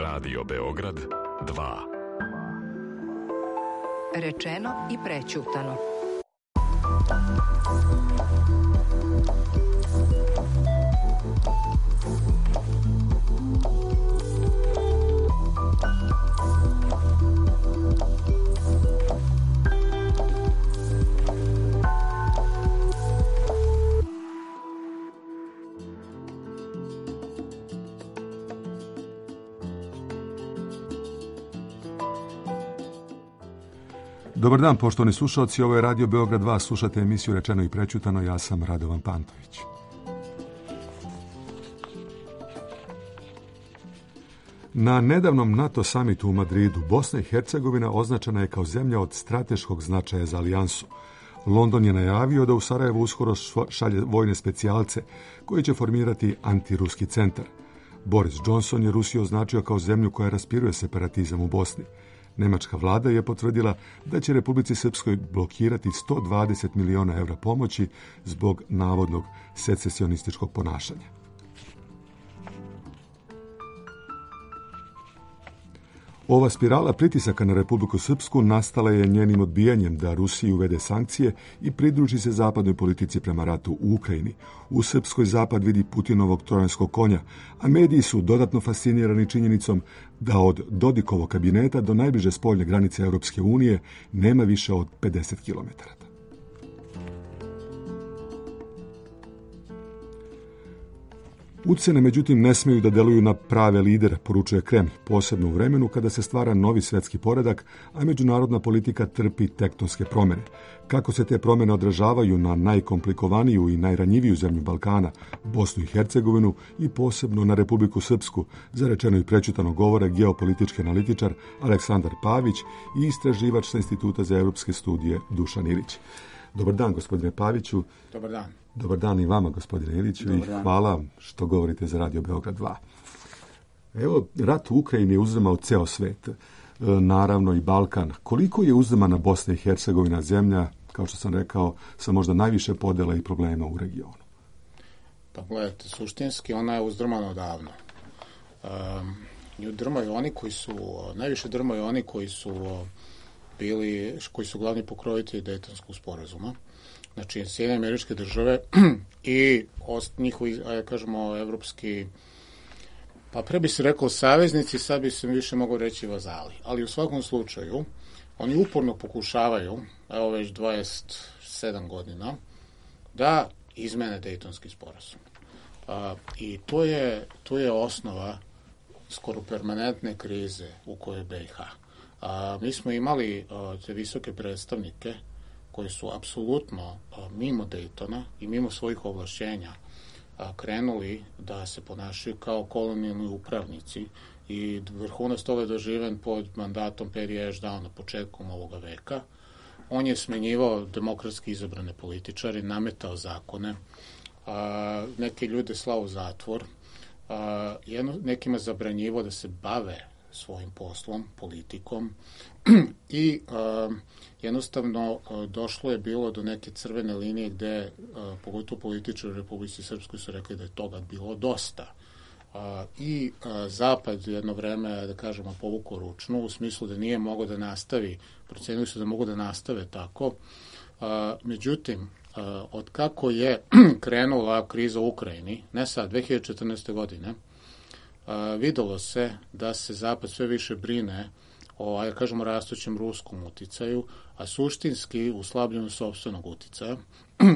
Radio Beograd 2. Rečeno i prećutano. Dobar dan, poštovani slušalci, ovo je Radio Beograd 2, slušate emisiju Rečeno i prećutano, ja sam Radovan Pantović. Na nedavnom NATO samitu u Madridu, Bosna i Hercegovina označena je kao zemlja od strateškog značaja za alijansu. London je najavio da u Sarajevo uskoro šalje vojne specijalce koji će formirati antiruski centar. Boris Johnson je Rusiju označio kao zemlju koja raspiruje separatizam u Bosni. Nemačka vlada je potvrdila da će Republici Srpskoj blokirati 120 miliona evra pomoći zbog navodnog secesionističkog ponašanja. Ova spirala pritisaka na Republiku Srpsku nastala je njenim odbijanjem da Rusiji uvede sankcije i pridruži se zapadnoj politici prema ratu u Ukrajini. U Srpskoj zapad vidi Putinovog trojanskog konja, a mediji su dodatno fascinirani činjenicom da od Dodikovog kabineta do najbliže spoljne granice Europske unije nema više od 50 kilometara. Ucene, međutim, ne smiju da deluju na prave lidere, poručuje Kremlj, posebno u vremenu kada se stvara novi svetski poredak, a međunarodna politika trpi tektonske promjene. Kako se te promjene odražavaju na najkomplikovaniju i najranjiviju zemlju Balkana, Bosnu i Hercegovinu i posebno na Republiku Srpsku, za Rečeno i prećutano govore geopolitički analitičar Aleksandar Pavić i istraživač sa Instituta za europske studije Dušan Ilić. Dobar dan, gospodine Paviću. Dobar dan. Dobar dan i vama, gospodine Iliću, i hvala što govorite za Radio Beograd 2. Evo, rat u Ukrajini je uzdrmao ceo svet, naravno i Balkan. Koliko je uzdrmana Bosna i Hercegovina, zemlja, kao što sam rekao, sa možda najviše podela i problema u regionu? Pa gledajte, suštinski ona je uzdrmana odavno. Nju drmaju oni koji su, najviše drmaju oni koji su glavni pokrovitelji Dejtonskog sporazuma. Znači, Sjedinjene Američke Države i njihovi, kažemo, evropski, pa pre bi se rekao saveznici, sad bi se više mogao reći vazali. Ali u svakom slučaju, oni uporno pokušavaju, evo već 27 godina, da izmene Dejtonski sporazum. I to je osnova skoro permanentne krize u kojoj BiH. Mi smo imali te visoke predstavnike koji su apsolutno mimo Dejtona i mimo svojih ovlašćenja krenuli da se ponašaju kao kolonijalni upravnici i vrhunac toga je doživen pod mandatom Perija Ešdauna početkom ovoga veka. On je smenjivao demokratski izabrane političare, nametao zakone, neke ljude slao u zatvor, nekima zabranjivao da se bave svojim poslom, politikom i jednostavno došlo je bilo do neke crvene linije gde pogotovo političari u Republici Srpskoj su rekli da je toga bilo dosta. I Zapad jedno vreme, da kažemo, povukao ručnu u smislu da nije mogao da nastavi, procenili su da mogu da nastave tako. Međutim, od kako je krenula kriza u Ukrajini, ne sad, 2014. godine, videlo se da se Zapad sve više brine o, kažemo, rastućem ruskom uticaju, a suštinski u slabljenju sopstvenog uticaja.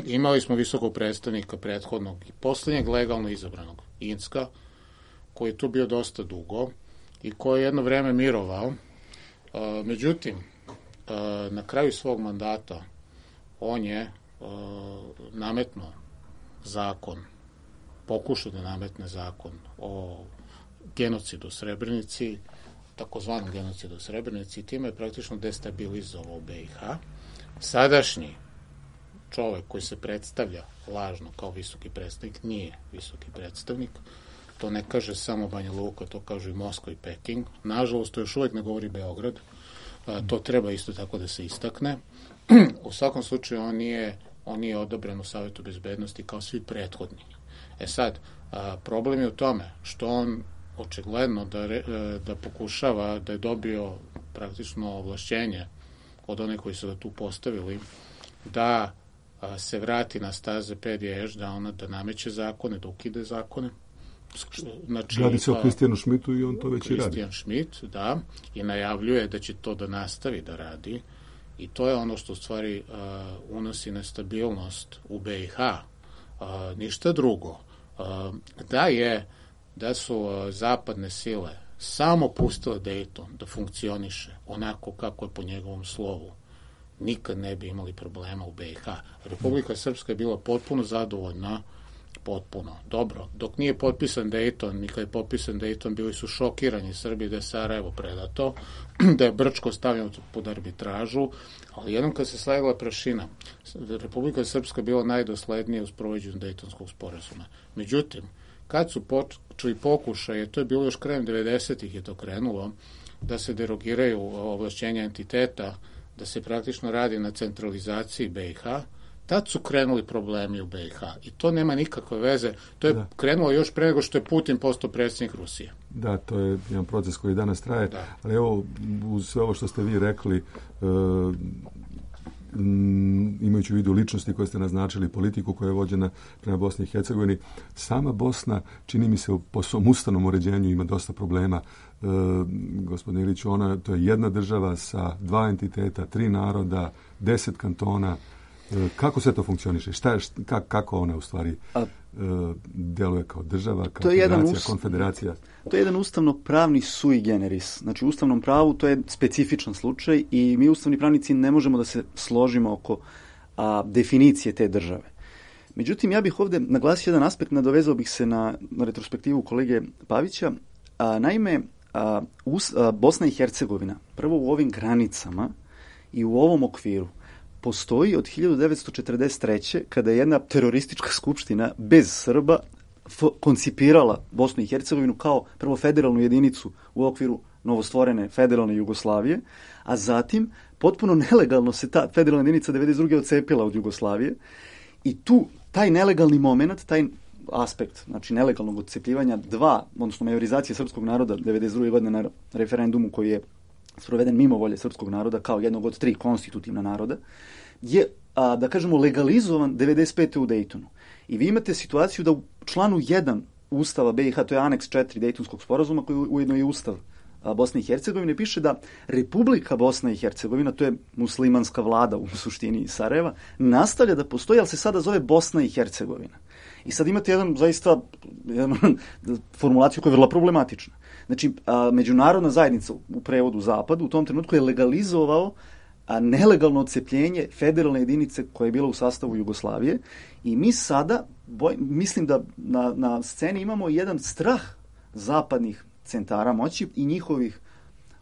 Imali smo visokog predstavnika prethodnog i posljednjeg legalno izabranog, Inska, koji je tu bio dosta dugo i koji je jedno vreme mirovao. Međutim, na kraju svog mandata on je nametnuo zakon, pokušao da nametne zakon o genocidu u Srebrenici, takozvanom genocidu u Srebrenici, i time je praktično destabilizovao BiH. Sadašnji čovek koji se predstavlja lažno kao visoki predstavnik nije visoki predstavnik. To ne kaže samo Banja Luka, to kažu i Moskva i Peking. Nažalost, to još uvek ne govori Beograd. To treba isto tako da se istakne. U svakom slučaju, on nije odobren u Savetu bezbednosti kao svi prethodni. Sad, problem je u tome što on očigledno da pokušava da je dobio praktično ovlašćenje od one koji su ga tu postavili, da se vrati na staze Pedija Ešdauna, da nameće zakone, da ukide zakone. Znači, radi se o Kristijanu Šmitu i on to već i radi. Kristijan Šmit, da, i najavljuje da će to da nastavi da radi. I to je ono što u stvari unosi nestabilnost u BiH. Ništa drugo. Da su zapadne sile samo pustile Dayton da funkcioniše onako kako je po njegovom slovu, nikad ne bi imali problema u BiH. Republika Srpska je bila potpuno zadovoljna, potpuno. Dobro, dok nije potpisan Dayton, i kad je potpisan Dayton, bili su šokirani Srbi da je Sarajevo predato, da je Brčko stavljeno pod arbitražu, ali jednom kad se slegla prašina, Republika Srpska bila najdoslednija u sprovođenju Daytonskog sporazuma. Međutim, kad su počeli pokušaje, to je bilo još krajem 90-ih je to krenulo, da se derogiraju ovlašćenja entiteta, da se praktično radi na centralizaciji BiH, tad su krenuli problemi u BiH. I to nema nikakve veze. To je krenulo još pre nego što je Putin postao predsjednik Rusije. Da, to je jedan proces koji danas traje. Da. Ali evo, uz sve ovo što ste vi rekli, imajući u vidu ličnosti koje ste naznačili, politiku koja je vođena prema Bosni i Hercegovini, sama Bosna, čini mi se, po svom ustavnom uređenju ima dosta problema. Gospodine Iliću, to je jedna država sa 2 entiteta, 3 naroda, 10 kantona. Kako sve to funkcioniše? Kako ona u stvari deluje kao država, kao federacija, konfederacija? To je jedan ustavno-pravni sui generis. Znači, u ustavnom pravu to je specifičan slučaj i mi ustavni pravnici ne možemo da se složimo oko definicije te države. Međutim, ja bih ovdje naglasio jedan aspekt, nadovezao bih se na retrospektivu kolege Pavića. Naime, Bosna i Hercegovina, prvo u ovim granicama i u ovom okviru, postoji od 1943. kada je jedna teroristička skupština bez Srba koncipirala Bosnu i Hercegovinu kao prvo federalnu jedinicu u okviru novostvorene federalne Jugoslavije, a zatim potpuno nelegalno se ta federalna jedinica 1992. odcepila od Jugoslavije i tu taj nelegalni moment, taj aspekt, znači nelegalnog odcepljivanja odnosno majorizacije srpskog naroda 1992. godine na referendumu koji je sproveden mimo volje srpskog naroda kao jednog od 3 konstitutivna naroda, je, da kažemo, legalizovan 1995. u Daytonu. I vi imate situaciju da u članu 1 Ustava BiH, to je aneks 4 Daytonskog sporazuma, koji ujedno je Ustav Bosne i Hercegovine, piše da Republika Bosna i Hercegovina, to je muslimanska vlada u suštini iz Sarajeva, nastavlja da postoji, ali se sada zove Bosna i Hercegovina. I sad imate jednu formulaciju koja je vrlo problematična. Znači, međunarodna zajednica u prevodu Zapadu u tom trenutku je legalizovao nelegalno odcepljenje federalne jedinice koja je bila u sastavu Jugoslavije i mi sada, mislim da na sceni imamo jedan strah zapadnih centara moći i njihovih,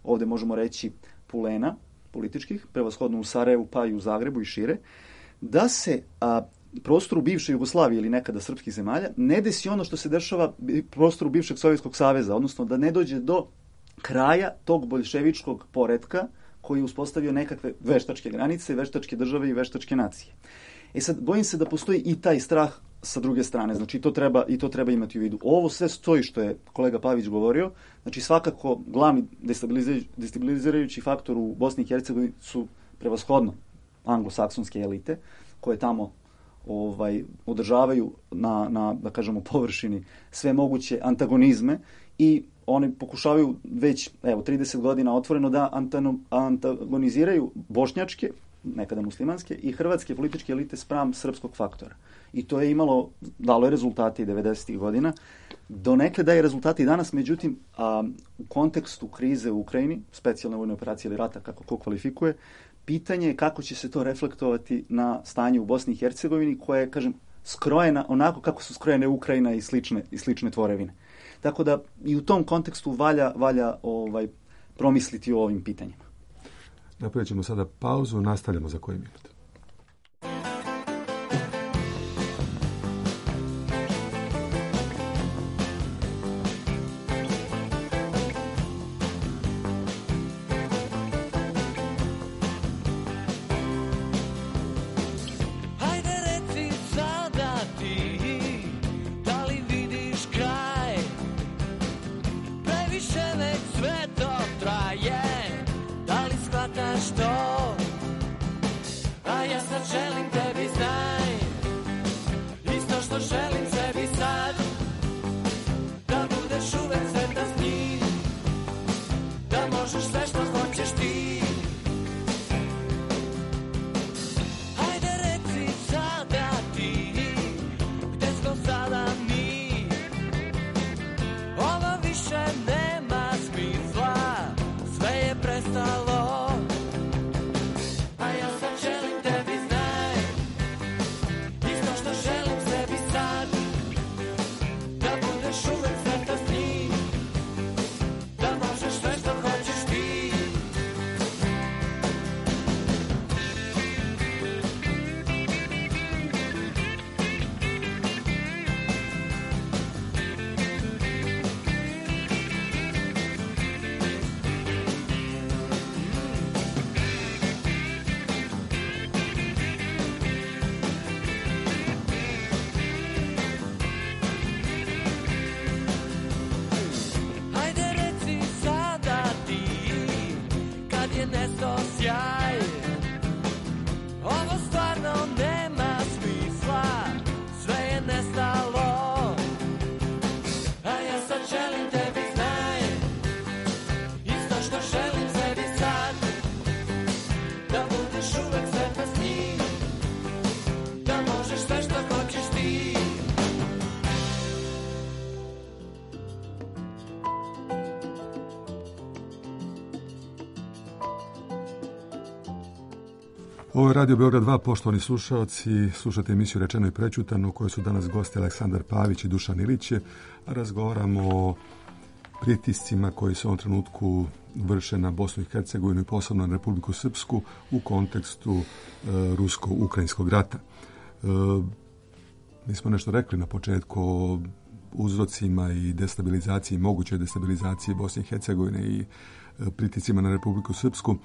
ovdje možemo reći, pulena političkih, prevashodno u Sarajevu pa i u Zagrebu i šire, da se prostoru bivše Jugoslavije ili nekada srpskih zemalja ne desi ono što se dešava prostoru bivšeg Sovjetskog saveza, odnosno da ne dođe do kraja tog boljševičkog poretka koji je uspostavio nekakve veštačke granice, veštačke države i veštačke nacije. Sad, bojim se da postoji i taj strah sa druge strane, znači to treba imati u vidu. Ovo sve stoji što je kolega Pavić govorio, znači svakako glavni destabilizirajući faktor u Bosni i Hercegovini su prevashodno anglosaksonske elite, koje tamo održavaju na da kažemo, površini sve moguće antagonizme i oni pokušavaju već 30 godina otvoreno da antagoniziraju bošnjačke, nekada muslimanske, i hrvatske političke elite spram srpskog faktora. I to je dalo je rezultate i 90. godina. Donekle daje rezultate i danas, međutim, u kontekstu krize u Ukrajini, specijalne vojne operacije ili rata, kako ko kvalifikuje, pitanje je kako će se to reflektovati na stanje u Bosni i Hercegovini, koja je, kažem, skrojena onako kako su skrojene Ukrajina i slične tvorevine. Tako da i u tom kontekstu valja promisliti o ovim pitanjima. Napravit ćemo sada pauzu, nastavljamo za koji minut. budeš uvek sretna s njim, da možeš sve što hoćeš ti. Ovo je Radio Beograd 2, poštovani slušalci, slušate emisiju Rečeno i prećutano, u kojoj su danas gosti Aleksandar Pavić i Dušan Ilić. Razgovaramo o pritiscima koji se u ovom trenutku vrše na Bosnu i Hercegovinu i posebno na Republiku Srpsku u kontekstu rusko-ukrajinskog rata. Mi smo nešto rekli na početku o uzrocima i destabilizaciji, mogućoj destabilizaciji Bosne i Hercegovine i pritiscima na Republiku Srpsku.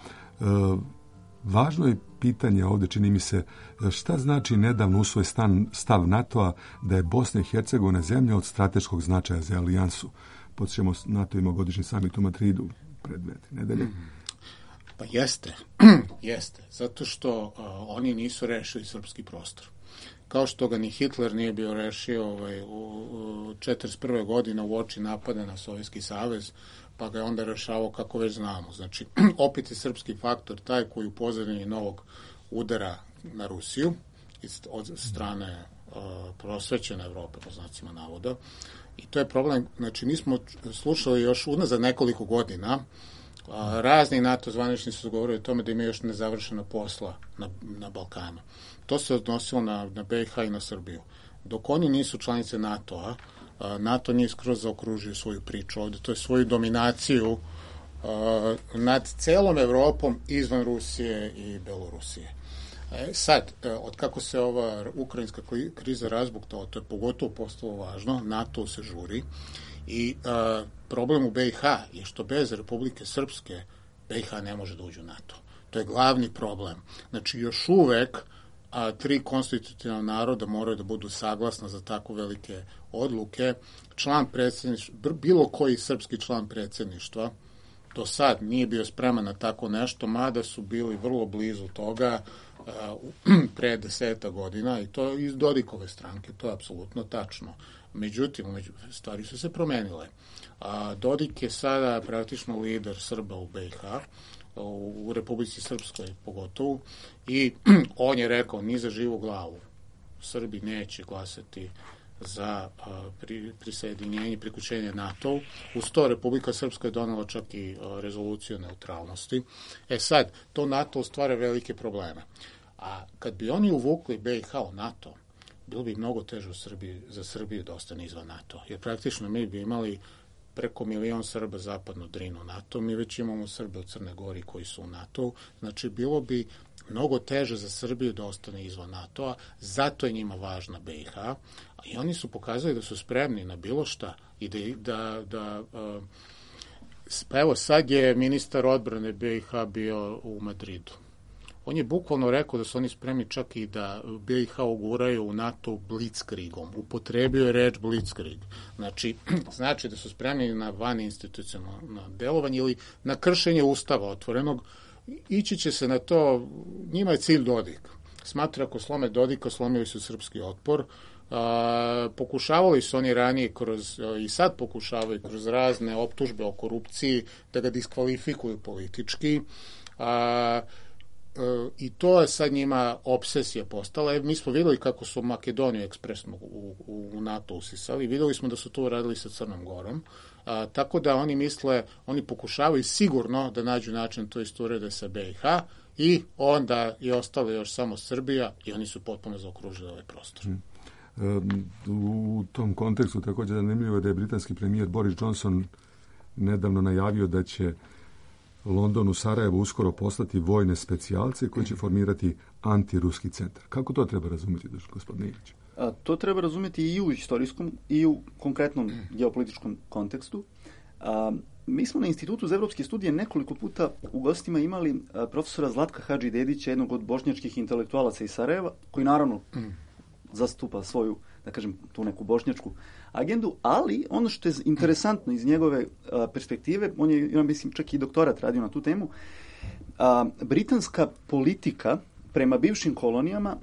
Važno je pitanje ovdje, čini mi se, šta znači nedavno usvojen stav NATO-a da je Bosna i Hercegovina zemlja od strateškog značaja za alijansu. Podsjećamo, NATO ima godišnji samit u Madridu pred 2 nedelje. Pa jeste, zato što oni nisu rešili srpski prostor. Kao što ga ni Hitler nije bio rešio u 1941. godine u oči napada na Sovjetski savez, pa ga je onda rešavao kako već znamo. Znači, opet je srpski faktor taj koji u pozadini novog udara na Rusiju od strane prosvećene Evrope, po znacima navoda. I to je problem. Znači, mi smo slušali još unazad nekoliko godina, razni NATO zvaničnici su govorili o tome da ima još nezavršena posla na Balkanu. To se odnosilo na BiH i na Srbiju. Dok oni nisu članice NATO-a, NATO nije skroz zaokružio svoju priču ovdje, to je svoju dominaciju nad celom Evropom izvan Rusije i Belorusije. Sad, od kako se ova ukrajinska kriza razbuktala, to je pogotovo postalo važno, NATO se žuri i problem u BiH je što bez Republike Srpske BiH ne može da uđe u NATO. To je glavni problem. Znači, još uvek 3 konstitutivna naroda moraju da budu saglasna za tako velike odluke. Član predsjedništva, bilo koji srpski član predsjedništva do sad nije bio spreman na tako nešto, mada su bili vrlo blizu toga pre 10 godina i to iz Dodikove stranke, to je apsolutno tačno. Međutim, stvari su se promenile. Dodik je sada praktično lider Srba u BiH, u Republici Srpskoj pogotovo, i on je rekao ni za živu glavu Srbi neće glasati za prisjedinjenje, priključenje NATO-u. Uz to Republika Srpska je donela čak i rezoluciju o neutralnosti. Sad, to NATO stvara velike probleme. A kad bi oni uvukli BiH u NATO, bilo bi mnogo teže za Srbiju da ostane izvan NATO. Jer praktično mi bi imali preko 1 milion Srba zapadno Drinu NATO. Mi već imamo Srbe u Crne Gori koji su u NATO. Znači, bilo bi mnogo teže za Srbiju da ostane izvan NATO-a. Zato je njima važna BiH. I oni su pokazali da su spremni na bilo šta. I pa evo, sad je ministar odbrane BiH bio u Madridu. On je bukvalno rekao da su oni spremni čak i da BiH uguraju u NATO blitzkriegom. Upotrebio je reč blitzkrieg. Znači da su spremni na vaninstitucionalno delovanje ili na kršenje ustava otvorenog. Ići će se na to, njima je cilj Dodik. Smatra ako slome Dodika, slomili su srpski otpor. Pokušavali su oni ranije i sad pokušavaju kroz razne optužbe o korupciji da ga diskvalifikuju politički. I to je sad njima obsesija postala. Mi smo videli kako su Makedoniju ekspresno u NATO usisali. Videli smo da su to uradili sa Crnom Gorom. Tako da oni misle, oni pokušavaju sigurno da nađu način to isto urede sa BiH i onda je ostala još samo Srbija i oni su potpuno zaokružili ovaj prostor. U tom kontekstu također zanimljivo je da je britanski premijer Boris Johnson nedavno najavio da će London u Sarajevu uskoro poslati vojne specijalce koji će formirati antiruski centar. Kako to treba razumjeti, gospodine Ilić? To treba razumjeti i u istorijskom i u konkretnom geopolitičkom kontekstu. Mi smo na Institutu za evropske studije nekoliko puta u gostima imali profesora Zlatka Hadžidedića, jednog od bošnjačkih intelektualaca iz Sarajeva, koji naravno zastupa svoju, da kažem, tu neku bošnjačku agendu, ali ono što je interesantno iz njegove perspektive, on je, ja mislim, čak i doktorat radio na tu temu, britanska politika prema bivšim kolonijama,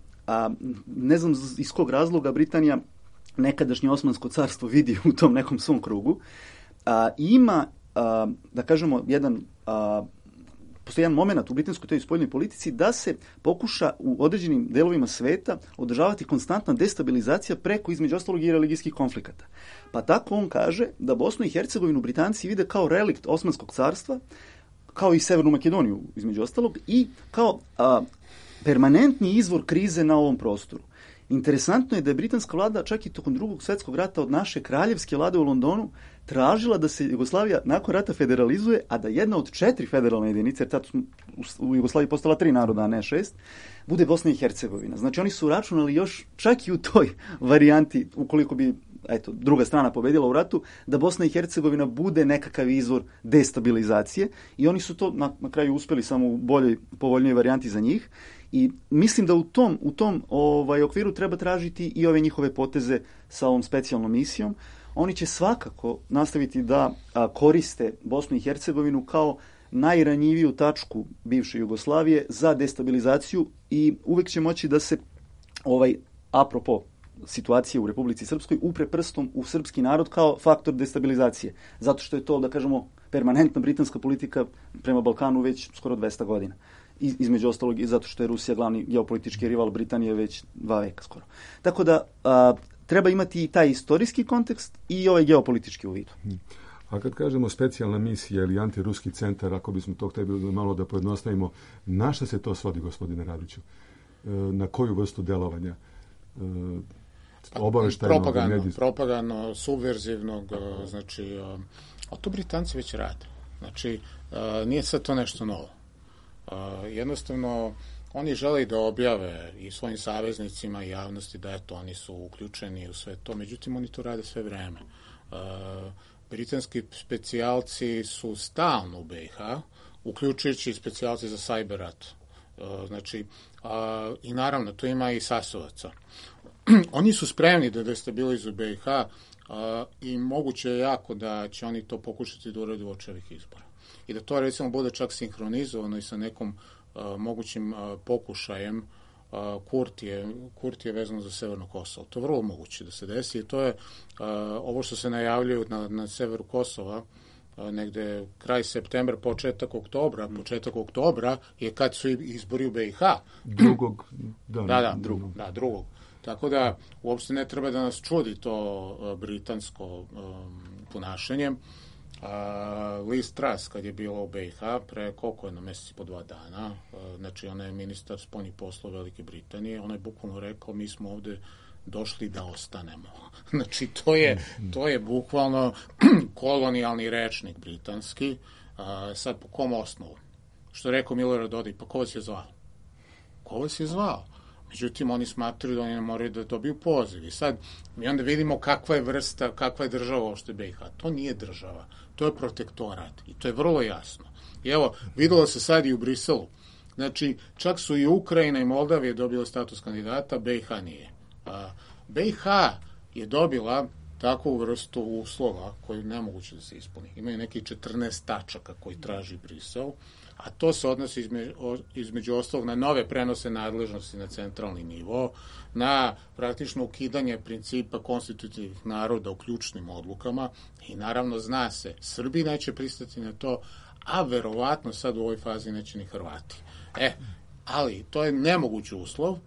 ne znam iz kog razloga Britanija nekadašnje Osmansko carstvo vidi u tom nekom svom krugu, ima, da kažemo, jedan postoji jedan moment u britanskoj toj spoljnoj politici da se pokuša u određenim delovima sveta održavati konstantna destabilizacija preko, između ostalog, i religijskih konflikata. Pa tako on kaže da Bosnu i Hercegovinu Britanci vide kao relikt Osmanskog carstva, kao i Severnu Makedoniju, između ostalog, i kao permanentni izvor krize na ovom prostoru. Interesantno je da je britanska vlada čak i tokom Drugog svjetskog rata od naše kraljevske vlade u Londonu tražila da se Jugoslavija nakon rata federalizuje, a da jedna od 4 federalne jedinice, jer tad u Jugoslaviji postala 3 naroda, a ne 6, bude Bosna i Hercegovina. Znači oni su računali još čak i u toj varijanti, ukoliko bi druga strana pobedila u ratu, da Bosna i Hercegovina bude nekakav izvor destabilizacije i oni su to na kraju uspeli samo u boljoj, povoljnoj varijanti za njih. I mislim da u tom okviru treba tražiti i ove njihove poteze sa ovom specijalnom misijom. Oni će svakako nastaviti da koriste Bosnu i Hercegovinu kao najranjiviju tačku bivše Jugoslavije za destabilizaciju i uvek će moći da se apropo situacije u Republici Srpskoj upre prstom u srpski narod kao faktor destabilizacije. Zato što je to, da kažemo, permanentna britanska politika prema Balkanu već skoro 200 godina. Između ostalog i zato što je Rusija glavni geopolitički rival Britanije već 2 veka skoro. Tako da treba imati i taj istorijski kontekst i ovaj geopolitički u vidu. A kad kažemo specijalna misija ili antiruski centar, ako bismo to htjeli malo da pojednostavimo, na šta se to svodi, gospodine Radiću? Na koju vrstu delovanja? Propagandno, subverzivnog, znači, a to Britanci već rade. Znači, nije sad to nešto novo. Jednostavno, oni žele da objave i svojim saveznicima i javnosti da eto, oni su uključeni u sve to, međutim, oni to rade sve vreme. Britanski specijalci su stalno u BiH, uključujući specijalci za cyber rat. Znači, i naravno, tu ima i Sasovaca. Oni su spremni da destabilizuju BiH i moguće je jako da će oni to pokušati da urade uoči ovih izbora. I da to, recimo, bude čak sinhronizovano i sa nekom mogućim pokušajem Kurtije vezano za Severno Kosovo. To je vrlo moguće da se desi i to je ovo što se najavljaju na severu Kosova, negde kraj septembra, početak oktobra je kad su izbori u BiH. Drugog. Tako da uopšte ne treba da nas čudi to britansko ponašanje. Liz Truss kad je bila u BiH pre koliko jedno meseci po 2 dana, znači ona je ministar spoljnih poslova Velike Britanije, ona je bukvalno rekao mi smo ovde došli da ostanemo. Znači to je bukvalno kolonijalni rečnik britanski. Sad po kom osnovu? Što je rekao Milorad Dodik, pa ko vas je zvao? Ko vas je zvao? Međutim, oni smatraju da oni ne moraju da dobiju poziv. I sad, mi onda vidimo kakva je država uopšte BiH. To nije država, to je protektorat. I to je vrlo jasno. I evo, videlo se sad i u Briselu. Znači, čak su i Ukrajina i Moldavija dobile status kandidata, BiH nije. BiH je dobila takvu vrstu uslova koji je nemoguće da se ispuni. Imaju neki 14 tačaka koji traži Brisel, a to se odnosi između ostalog na nove prenose nadležnosti na centralni nivo, na praktično ukidanje principa konstitutivnih naroda u ključnim odlukama i naravno zna se, Srbi neće pristati na to, a verovatno sad u ovoj fazi neće ni Hrvati. Ali to je nemogući uslov.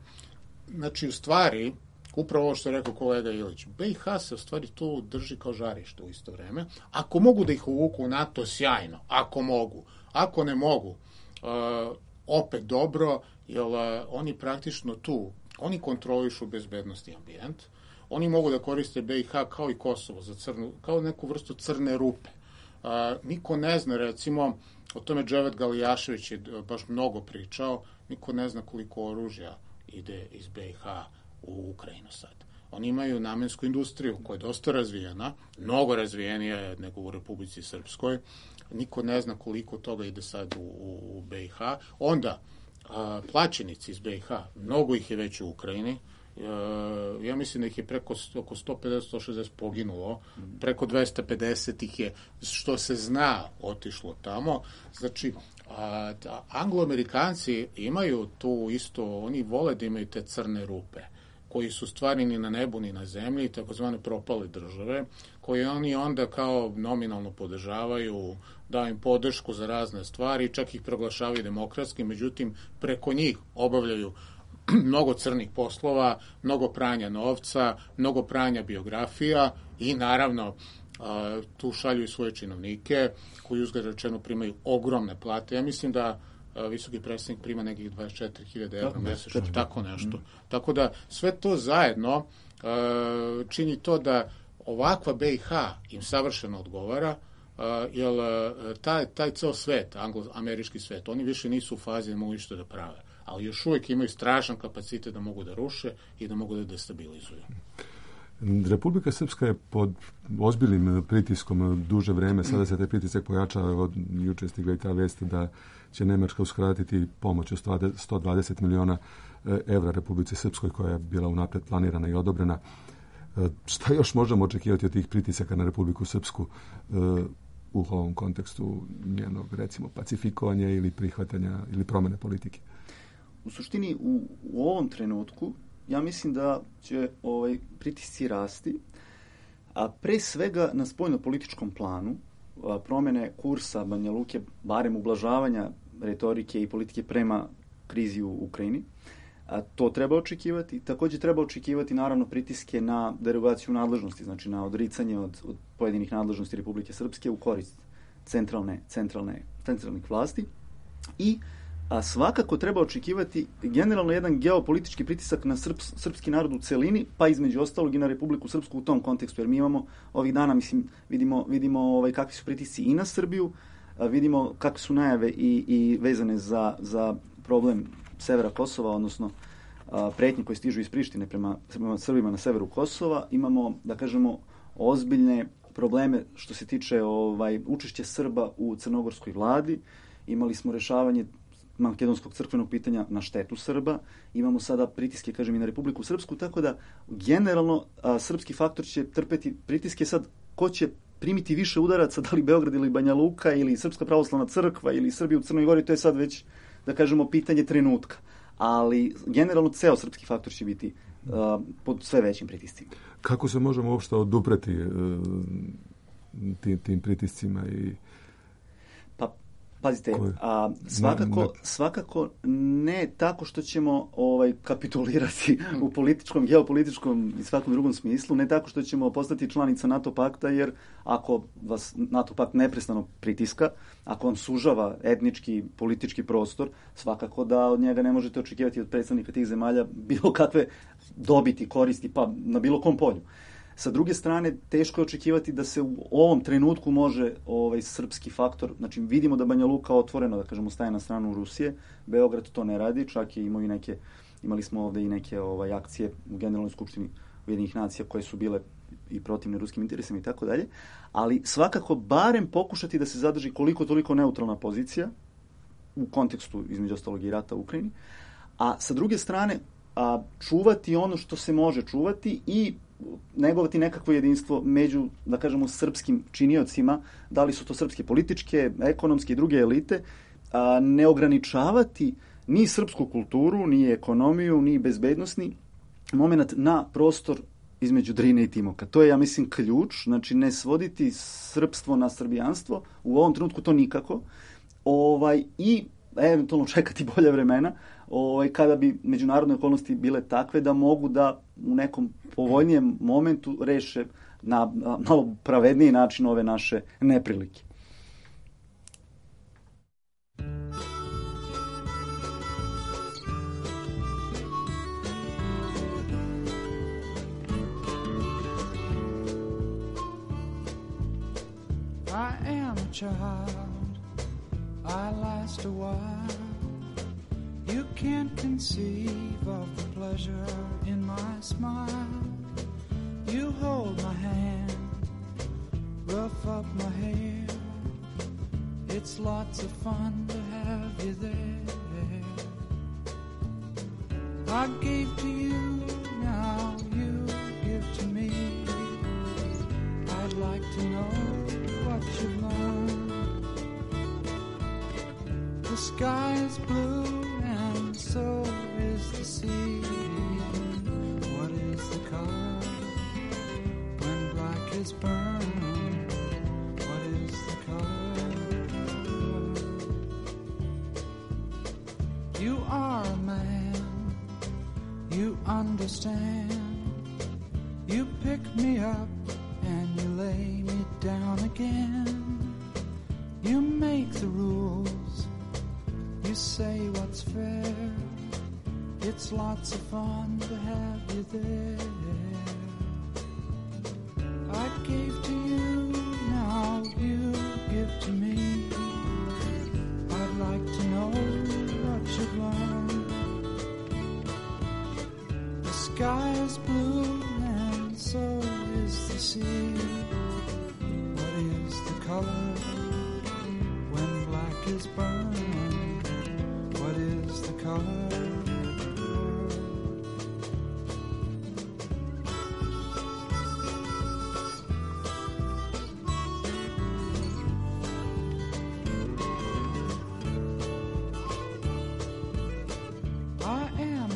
Znači, u stvari, upravo ovo što je rekao kolega Ilić, BiH se u stvari tu drži kao žarište u isto vreme. Ako mogu da ih uvuku u NATO, sjajno. Ako mogu. Ako ne mogu, opet dobro, jer oni praktično tu, oni kontrolišu bezbednosti ambijent, oni mogu da koriste BiH kao i Kosovo, kao neku vrstu crne rupe. Niko ne zna, recimo, o tome Dževet Galijašević je baš mnogo pričao, niko ne zna koliko oružja ide iz BiH u Ukrajinu sad. Oni imaju namensku industriju koja je dosta razvijena, mnogo razvijenija nego u Republici Srpskoj. Niko ne zna koliko toga ide sad u BiH. Onda, plaćenici iz BiH, mnogo ih je već u Ukrajini. Ja mislim da ih je preko oko 150-160 poginulo. Preko 250 ih je, što se zna, otišlo tamo. Znači, Anglo-Amerikanci imaju tu isto, oni vole da imaju te crne rupe. koji su stvarni ni na nebu ni na zemlji, takozvane propale države, koje oni onda kao nominalno podržavaju, daju im podršku za razne stvari, čak ih proglašavaju demokratskim, međutim preko njih obavljaju mnogo crnih poslova, mnogo pranja novca, mnogo pranja biografija i naravno tu šalju i svoje činovnike koji uzgled rečeno primaju ogromne plate. Ja mislim da visoki predstavnik prima nekih 24.000 evra mesečno, tako nešto. Tako da sve to zajedno čini to da ovakva BiH im savršeno odgovara, jer taj ceo svet, anglo-američki svet, oni više nisu u fazi da mogu ništa da prave, ali još uvijek imaju strašan kapacitet da mogu da ruše i da mogu da destabilizuju. Republika Srpska je pod ozbiljnim pritiskom duže vreme, sada se taj pritisak pojačava, od juče stigla i ta vest da će Nemačka uskratiti pomoć od 120 miliona evra Republici Srpskoj koja je bila unapred planirana i odobrena. Šta još možemo očekivati od tih pritisaka na Republiku Srpsku u ovom kontekstu njenog, recimo, pacifikovanja ili prihvatanja ili promene politike? U suštini, u ovom trenutku ja mislim da će pritisci rasti, a pre svega na spoljno-političkom planu promene kursa Banja Luke, barem ublažavanja retorike i politike prema krizi u Ukrajini. To treba očekivati. Također treba očekivati naravno pritiske na derogaciju nadležnosti, znači na odricanje od pojedinih nadležnosti Republike Srpske u korist centralnih vlasti. I svakako treba očekivati generalno jedan geopolitički pritisak na srpski narod u celini, pa između ostalog i na Republiku Srpsku u tom kontekstu, jer mi imamo ovih dana, vidimo kakvi su pritisci i na Srbiju, vidimo kakve su najave i vezane za problem severa Kosova, odnosno pretnje koje stižu iz Prištine prema Srbima na severu Kosova. Imamo, da kažemo, ozbiljne probleme što se tiče učešća Srba u crnogorskoj vladi. Imali smo rešavanje makedonskog crkvenog pitanja na štetu Srba. Imamo sada pritiske, kažem, i na Republiku Srpsku, tako da generalno srpski faktor će trpeti pritiske. Sad, ko će primiti više udaraca, da li Beograd ili Banja Luka ili Srpska pravoslavna crkva ili Srbija u Crnoj Gori, to je sad već, da kažemo, pitanje trenutka. Ali generalno ceo srpski faktor će biti pod sve većim pritiscima. Kako se možemo uopšte odupreti tim pritiscima i... Pazite, svakako ne tako što ćemo kapitulirati u političkom, geopolitičkom i svakom drugom smislu, ne tako što ćemo postati članica NATO pakta, jer ako vas NATO pakt neprestano pritiska, ako vam sužava etnički, politički prostor, svakako da od njega ne možete očekivati od predstavnika tih zemalja bilo kakve dobiti, koristi, pa na bilo kom polju. Sa druge strane, teško je očekivati da se u ovom trenutku može srpski faktor, znači vidimo da Banja Luka otvoreno, da kažemo, staje na stranu Rusije, Beograd to ne radi, čak je imali smo ovde i neke akcije u Generalnoj skupštini Ujedinjenih nacija koje su bile i protivne ruskim interesima i tako dalje, ali svakako barem pokušati da se zadrži koliko toliko neutralna pozicija u kontekstu, između ostalog, i rata u Ukrajini, a sa druge strane čuvati ono što se može čuvati i negovati nekakvo jedinstvo među, da kažemo, srpskim činiocima, da li su to srpske političke, ekonomske i druge elite, ne ograničavati ni srpsku kulturu, ni ekonomiju, ni bezbednosni moment na prostor između Drine i Timoka. To je, ja mislim, ključ, znači ne svoditi srpstvo na srbijanstvo, u ovom trenutku to nikako, i eventualno čekati bolje vremena, kada bi međunarodne okolnosti bile takve da mogu da u nekom povoljnijem momentu reše na malo pravedniji način ove naše neprilike. I am a child, I last a while. You can't conceive of the pleasure in my smile. You hold my hand, rough up my hair. It's lots of fun to have you there. I gave to you, now you give to me. I'd like to know what you've learned. The sky is blue and so is the sea. is burned, what is the color? You are a man, you understand. You pick me up and you lay me down again. You make the rules, you say what's fair. It's lots of fun to have you there. I gave to you, now you give to me. I'd like to know what you've learned. The sky is blue and so is the sea. What is the color when black is burned? What is the color?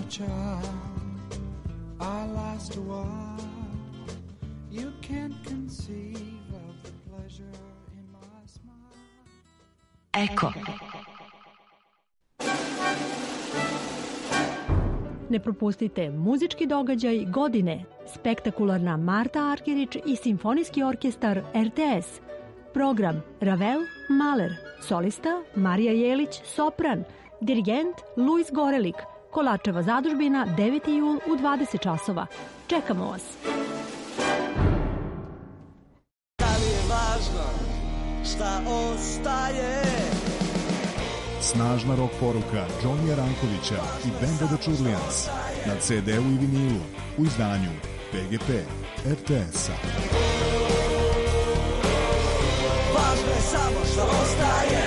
Child, I last a while. You can't conceive of the pleasure in my smile. Eko. Ne propustite muzički događaj godine, spektakularna Marta Arkerić i simfonijski orkestar RTS. Program Ravel, Mahler, solista Marija Jelić, sopran, dirigent Luis Gorelik. Kolačeva zadužbina, 9. jul u 20 časova. Čekamo vas. Da li je važno šta ostaje? Snažna rock poruka Johnnyja Rankovića i benda The Churlians na CD-u i vinilu u izdanju PGP RTS-a. Važno je samo što ostaje.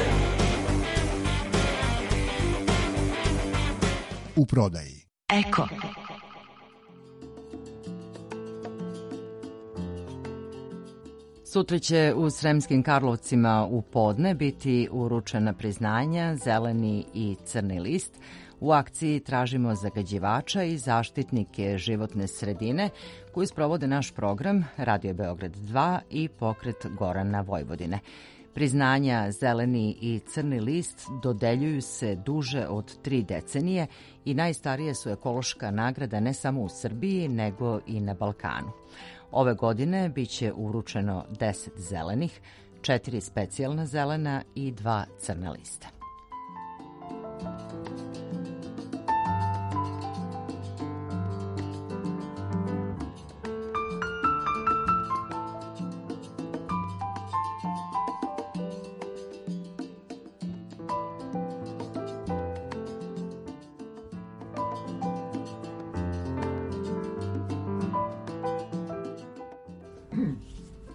U prodaji. Eko. Sutra će u Sremskim Karlovcima u podne biti uručena priznanja Zeleni i Crni list. U akciji tražimo zagađivača i zaštitnike životne sredine koji sprovode naš program Radio Beograd 2 i Pokret Gorana Vojvodine. Priznanja Zeleni i Crni list dodeljuju se duže od 3 decenije i najstarije su ekološka nagrada ne samo u Srbiji, nego i na Balkanu. Ove godine biće uručeno 10 zelenih, 4 specijalna zelena i 2 crna lista.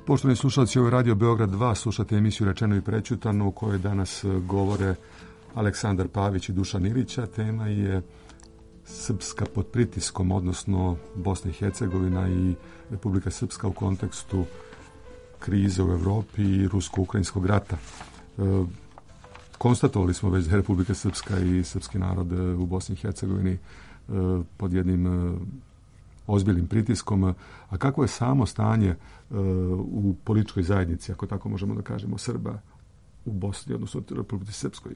Poštovani slušalci, ovo je Radio Beograd 2, slušate emisiju Rečeno i prećutano u kojoj danas govore Aleksandar Pavić i Dušan Ilića. Tema je Srpska pod pritiskom, odnosno Bosna i Hercegovina i Republika Srpska u kontekstu krize u Evropi i rusko-ukrajinskog rata. Konstatovali smo već da je Republika Srpska i srpski narod u Bosni i Hercegovini pod jednim ozbiljnim pritiskom, a kako je samo stanje u političkoj zajednici, ako tako možemo da kažemo, Srba u Bosni, odnosno u Republici Srpskoj?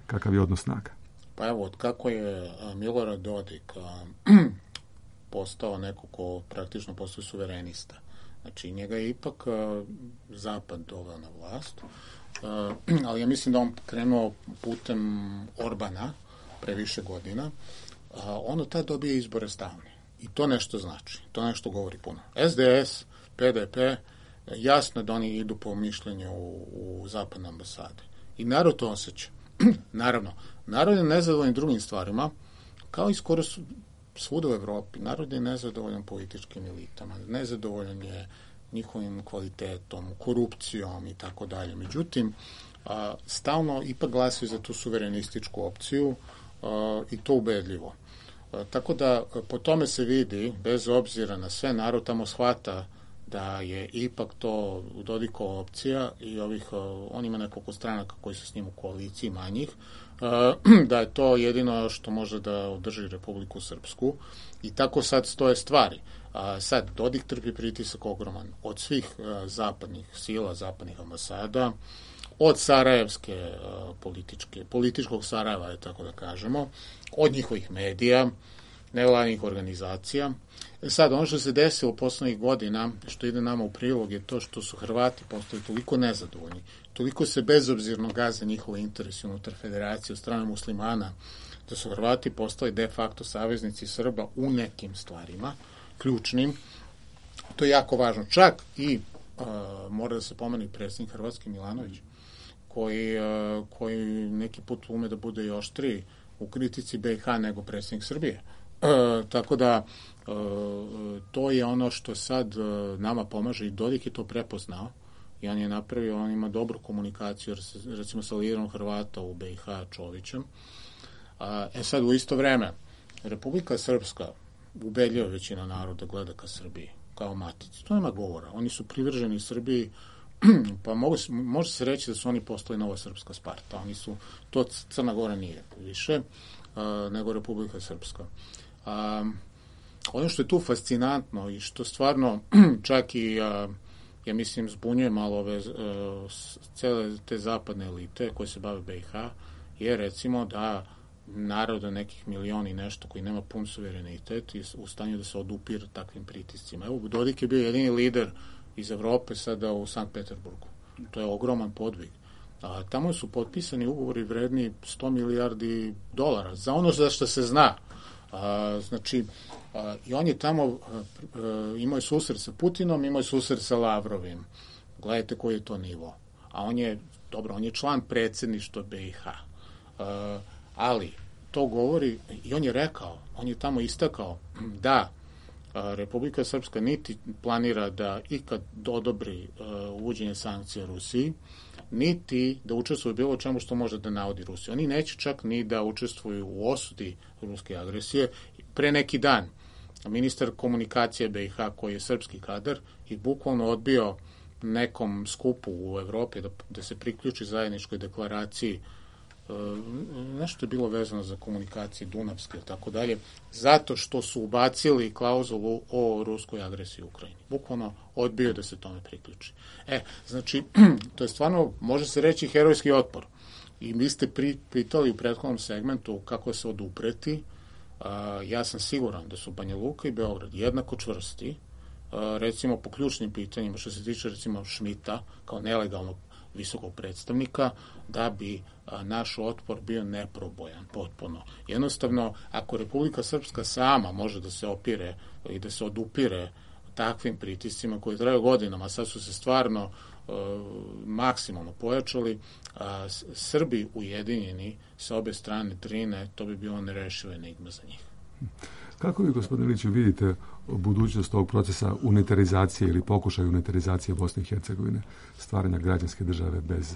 Kakav je odnos snaga? Pa evo, od kako je Milorad Dodik postao neko ko praktično postoji suverenista. Znači, njega je ipak Zapad doveo na vlast, ali ja mislim da on krenuo putem Orbana pre više godina. On od tada dobije izbore stalne. I to nešto znači, to nešto govori puno. SDS, PDP, jasno da oni idu po mišljenju u zapadne ambasade. I narod to osjeća. Naravno, narod je nezadovoljan drugim stvarima, kao i skoro svuda u Evropi. Narod je nezadovoljan političkim elitama, nezadovoljan je njihovim kvalitetom, korupcijom i tako dalje. Međutim, stalno ipak glasaju za tu suverenističku opciju i to ubedljivo. Tako da po tome se vidi, bez obzira na sve, narod tamo shvata da je ipak to Dodikova opcija i on ima nekoliko stranaka koji su s njim u koaliciji manjih, da je to jedino što može da održi Republiku Srpsku i tako sad stoje stvari. Sad, Dodik trpi pritisak ogroman od svih zapadnih sila, zapadnih ambasada, od sarajevske političkog Sarajeva, tako da kažemo, od njihovih medija, nevladinih organizacija. Sad, ono što se desilo poslednjih godina, što ide nama u prilog, je to što su Hrvati postali toliko nezadovoljni, toliko se bezobzirno gaze njihove interesi unutar federacije od strane muslimana, da su Hrvati postali de facto saveznici Srba u nekim stvarima, ključnim. To je jako važno. Čak i mora da se pomene predsjednik Hrvatski Milanović, koji neki put ume da bude i oštriji u kritici BiH nego predsjednik Srbije. Tako da to je ono što sad nama pomaže i Dodik je to prepoznao i on je napravio, on ima dobru komunikaciju recimo sa liderom Hrvata u BiH Čovićem. Sad u isto vreme Republika Srpska, ubedljiva većina naroda gleda ka Srbiji kao matici, to nema govora, oni su privrženi Srbiji, pa može se reći da su oni postali nova srpska Sparta, oni su, to Crna Gora nije više nego Republika Srpska. Ono što je tu fascinantno i što stvarno čak i ja mislim zbunjuje malo ove cele te zapadne elite koje se bave BiH je recimo da naroda nekih miliona i nešto koji nema pun suverenitet i u stanju da se odupire takvim pritiscima. Evo, Dodik je bio jedini lider iz Evrope sada u Sankt Peterburgu. To je ogroman podvig. Tamo su potpisani ugovori vredni $100 milijardi za ono za što se zna. Znači, i on je tamo imao je susret sa Putinom, imao je susret sa Lavrovim. Gledajte koji je to nivo. A on je, dobro, on je član predsjedništva BiH. Ali to govori, i on je rekao, on je tamo istakao da Republika Srpska niti planira da ikad odobri uvođenje sankcija Rusiji, niti da učestvuje bilo čemu što može da navodi Rusiju. Oni neće čak ni da učestvuju u osudi ruske agresije. Pre neki dan ministar komunikacije BiH, koji je srpski kadar, i bukvalno odbio nekom skupu u Evropi da se priključi zajedničkoj deklaraciji, nešto je bilo vezano za komunikacije Dunavske i tako dalje, zato što su ubacili klauzulu o ruskoj agresiji u Ukrajini. Bukvalno odbio da se tome priključi. Znači, to je stvarno, može se reći, herojski otpor. I vi ste pitali u prethodnom segmentu kako se odupreti. Ja sam siguran da su Banja Luka i Beograd jednako čvrsti, recimo po ključnim pitanjima, što se tiče recimo Šmita kao nelegalnog visokog predstavnika, da bi naš otpor bio neprobojan potpuno. Jednostavno, ako Republika Srpska sama može da se opire i da se odupire takvim pritiscima koji traju godinama, sad su se stvarno maksimalno pojačali, Srbi ujedinjeni sa obe strane Drine, to bi bilo nerešiva enigma za njih. Kako vi, gospodine Iliću, vidite budućnost ovog procesa unitarizacije ili pokušaj unitarizacije Bosne i Hercegovine, stvaranja građanske države bez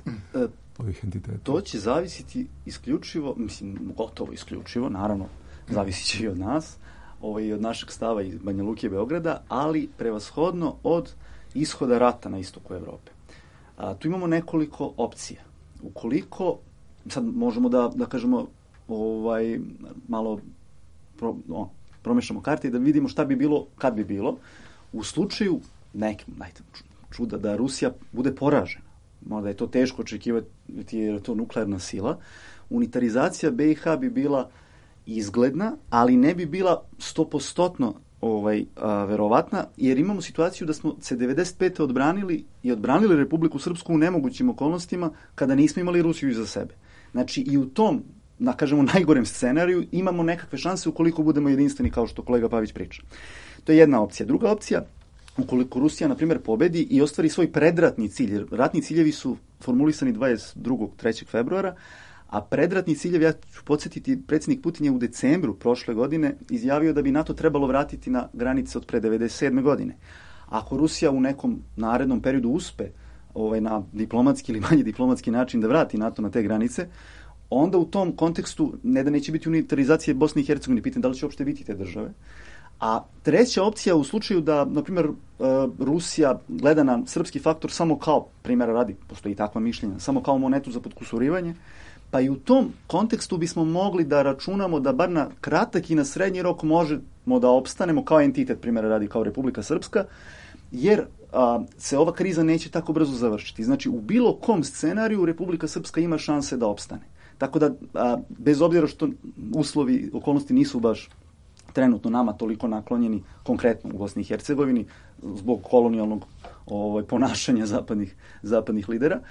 ovih entiteta? To će zavisiti isključivo, mislim, gotovo isključivo, naravno, zavisit će i od nas, od našeg stava iz Banja Luke i Beograda, ali prevashodno od ishoda rata na istoku Evrope. Tu imamo nekoliko opcija. Ukoliko, sad možemo da kažemo, malo promešamo karte i da vidimo šta bi bilo, kad bi bilo, u slučaju čuda da Rusija bude poražena. Možda je to teško očekivati jer je to nuklearna sila. Unitarizacija BiH bi bila izgledna, ali ne bi bila 100% verovatna, jer imamo situaciju da smo se 95. odbranili Republiku Srpsku u nemogućim okolnostima kada nismo imali Rusiju iza sebe. Znači i u tom, da kažemo, najgorem scenariju imamo nekakve šanse ukoliko budemo jedinstveni, kao što kolega Pavić priča. To je jedna opcija. Druga opcija, ukoliko Rusija, na primjer, pobedi i ostvari svoj predratni cilj, jer ratni ciljevi su formulisani 22. 3. februara, a predratni ciljev, ja ću podsjetiti, predsjednik Putin je u decembru prošle godine izjavio da bi NATO trebalo vratiti na granice od pre 1997. godine. Ako Rusija u nekom narednom periodu uspe na diplomatski ili manje diplomatski način da vrati NATO na te granice, onda u tom kontekstu ne da neće biti unitarizacije Bosne i Hercegovine, pitam da li će uopšte biti te države. A treća opcija u slučaju da, na primjer, Rusija gleda na srpski faktor samo kao, primjera radi, postoji takva mišljenja, samo kao monetu za potkusurivanje, Pa i u tom kontekstu bismo mogli da računamo da bar na kratak i na srednji rok možemo da opstanemo kao entitet, primjera radi kao Republika Srpska, jer se ova kriza neće tako brzo završiti. Znači, u bilo kom scenariju Republika Srpska ima šanse da opstane. Tako da, bez obzira što uslovi, okolnosti nisu baš trenutno nama toliko naklonjeni, konkretno u Bosni i Hercegovini, zbog kolonijalnog ponašanja zapadnih lidera,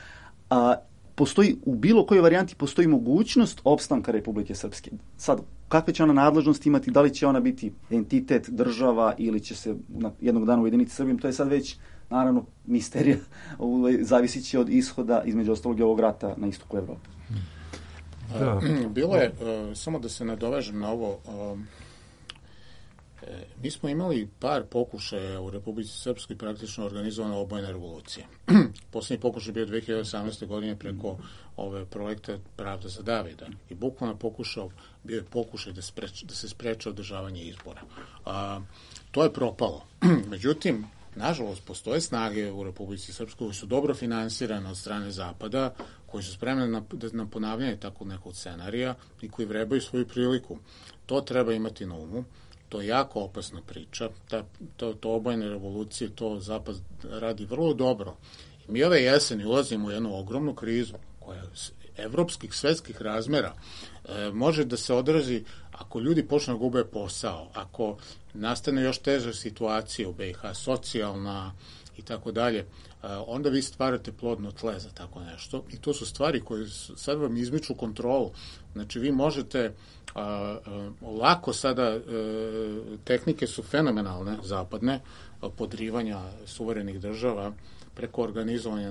postoji, u bilo kojoj varijanti postoji mogućnost opstanka Republike Srpske. Sad, kakve će ona nadležnosti imati, da li će ona biti entitet, država ili će se jednog dana ujediniti Srbijom, to je sad već, naravno, misterija, zavisit će od ishoda, između ostalog, ovog rata na istoku Evrope. Bilo je, samo da se nadovežem na ovo, mi smo imali par pokušaja u Republici Srpskoj praktično organizovana obojena revolucija. Posljednji pokušaj bio 2018. godine preko ove projekta Pravda za Davida. I bukvalno bio je pokušaj da se spreče održavanje izbora. To je propalo. Međutim, nažalost, postoje snage u Republici Srpskoj koji su dobro finansirane od strane Zapada, koji su spremni na ponavljanje takvog nekog scenarija i koji vrebaju svoju priliku. To treba imati na umu. To je jako opasna priča. To obojene revolucije, to Zapad radi vrlo dobro. I mi ove jeseni ulazimo u jednu ogromnu krizu koja je evropskih, svetskih razmera. Može da se odrazi ako ljudi počnu da gube posao, ako nastane još teža situacija u BiH, socijalna i tako dalje, onda vi stvarate plodno tle za tako nešto. I to su stvari koje sad vam izmiču kontrolu. Znači, vi možete lako sada, tehnike su fenomenalne, zapadne, podrivanja suverenih država, preko organizovanja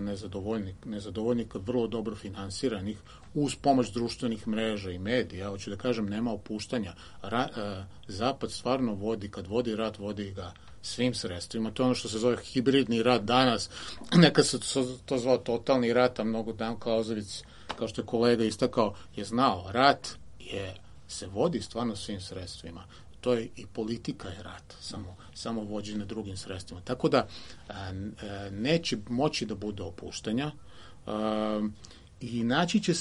nezadovoljnika, vrlo dobro finansiranih, uz pomoć društvenih mreža i medija. Hoću da kažem, nema opuštanja. Zapad stvarno vodi, kad vodi rat, vodi ga svim sredstvima. To je ono što se zove hibridni rat danas. Nekad se to zvao totalni rat, a mnogo Dan Klauzović, kao što je kolega istakao, je znao. Rat se vodi stvarno svim sredstvima. To je i politika je rat, samo vođene drugim sredstvima. Tako da neće moći da bude opuštanja i naći će